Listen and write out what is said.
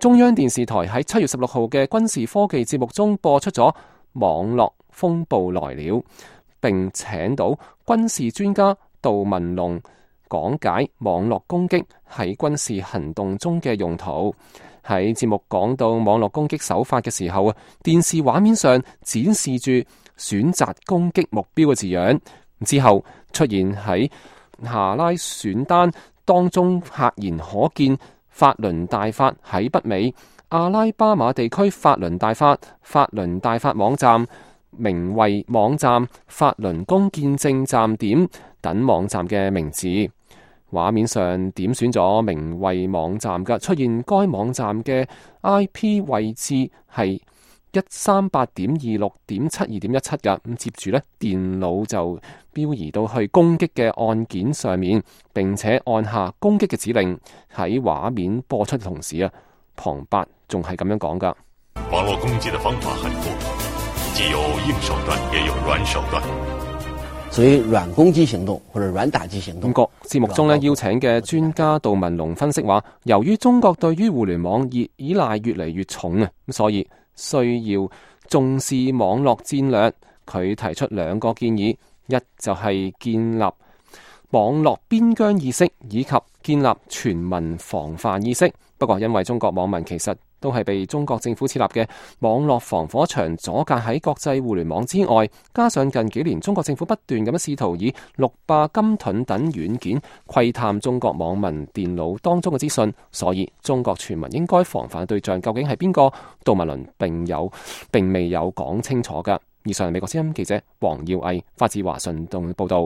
中央電視台喺7月16號嘅軍事科技節目中播出咗網絡風暴來了，並請到軍事專家杜文龍講解網絡攻擊喺軍事行動中嘅用途。喺節目講到網絡攻擊手法嘅時候啊，電視畫面上展示住選擇攻擊目標嘅字樣，之後出現喺下拉選單當中，赫然可見法輪大法喺北美阿拉巴馬地區法輪大法網站、名為網站法輪功見證站點等網站嘅名字。畫面上點選咗名為網站嘅，出現該網站嘅 IP 位置係138.26.72.17嘅。咁接住呢，電腦就標移到去攻擊嘅按鍵上面，並且按下攻擊嘅指令。喺畫面播出嘅同時啊，旁白仲係咁樣講噶：網絡攻擊嘅方法很多，既有硬手段，也有軟手段。所以軟攻擊行動或者軟打擊行動。咁節目中邀請嘅專家杜文龍分析話，由於中國對於互聯網依賴越嚟越重啊，所以需要重視網絡戰略。佢提出2個建議，一就係建立網絡邊疆意識，以及建立全民防範意識。不過因為中國網民其實都係被中國政府設立嘅網絡防火牆阻隔喺國際互聯網之外，加上近幾年中國政府不斷咁樣試圖以6霸金盾等軟件窺探中國網民電腦當中嘅資訊，所以中國全民應該防範對象究竟係邊個？杜文龍並未有講清楚㗎。以上係美國之音記者黃耀毅發自華盛頓報道。